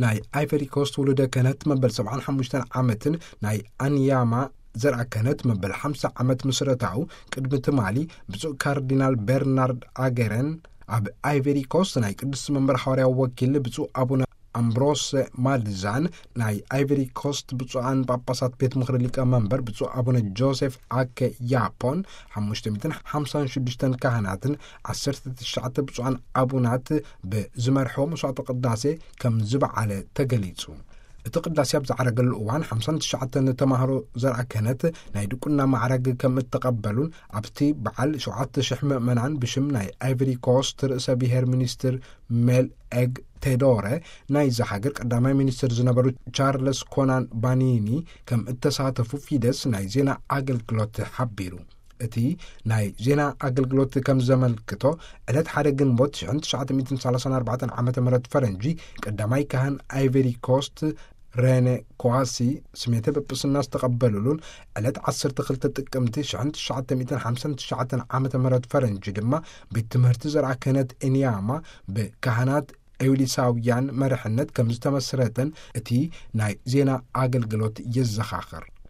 ናይ ኣይቨሪ ኮስት ውሉደ ክህነት መበል ሰብዓን ሓሙሽተን ዓመትን ናይ ኣንያማ ዘርኣ ክህነት መበል ሓምሳ ዓመት ምስረታኡ ቅድሚ ትማሊ ብፁዕ ካርዲናል ቤርናርድ ኣገረን፣ ኣብ ኣይቨሪ ኮስት ናይ ቅዱስ መንበር ሓዋርያዊ ወኪል ብፁዕ ኣቡነ ኣምብሮስ ማልዛን፣ ናይ ኣይቨሪ ኮስት ብፁዓን ጳጳሳት ቤት ምኽሪ ሊቀ መንበር ብፁዕ ኣቡነ ጆሴፍ ኣከ ያፖን፣ ሓሙሽተ ሚእትን ሓምሳን ሽዱሽተን ካህናትን ዓሰርተ ትሽዓተ ብፁዓን ኣቡናት ብዝመርሕዎ መስዋዕተ ቅዳሴ ከም ዝበዓለ ተገሊጹ። እቲ ቅዳሴ ኣብ ዝዓረገሉ እዋን ሓምሳን ትሽዓተን ተማህሮ ዘርኣ ክህነት ናይ ድቁና ማዕረግ ከም እተቐበሉን፣ ኣብቲ በዓል ሸውዓተ ሽሕ ምእመናን ብሽም ናይ ኣይቨሪ ኮስት ርእሰ ብሔር ሚኒስትር ሜል ኤግ ቴዶረ፣ ናይዛ ሃገር ቀዳማይ ሚኒስትር ዝነበሩ ቻርለስ ኮናን ባኒኒ ከም እተሳተፉ ፊደስ ናይ ዜና ኣገልግሎት ሓቢሩ። እቲ ናይ ዜና ኣገልግሎት ከም ዘመልክቶ፣ ዕለት ሓደ ግንቦት ሽሕን ትሽዓተ ሚእትን ሰላሳን ኣርባዕተን ዓመተ ምህረት ፈረንጂ፣ ቀዳማይ ካህን ኣይቨሪ ኮስት ሬነ ኮዋሲ ስሜተ ጵጵስና ዝተቐበሉሉን፣ ዕለት ዓሰርተ ክልተ ጥቅምቲ ሽሕን ትሽዓተ ሚእትን ሓምሳን ትሽዓተን ዓመተ ምህረት ፈረንጂ ድማ ቤት ትምህርቲ ዘርኣ ክህነት ኤንያማ ብካህናት ኤውሊሳውያን መርሕነት ከም ዝተመስረተን እቲ ናይ ዜና ኣገልግሎት የዘኻኽር።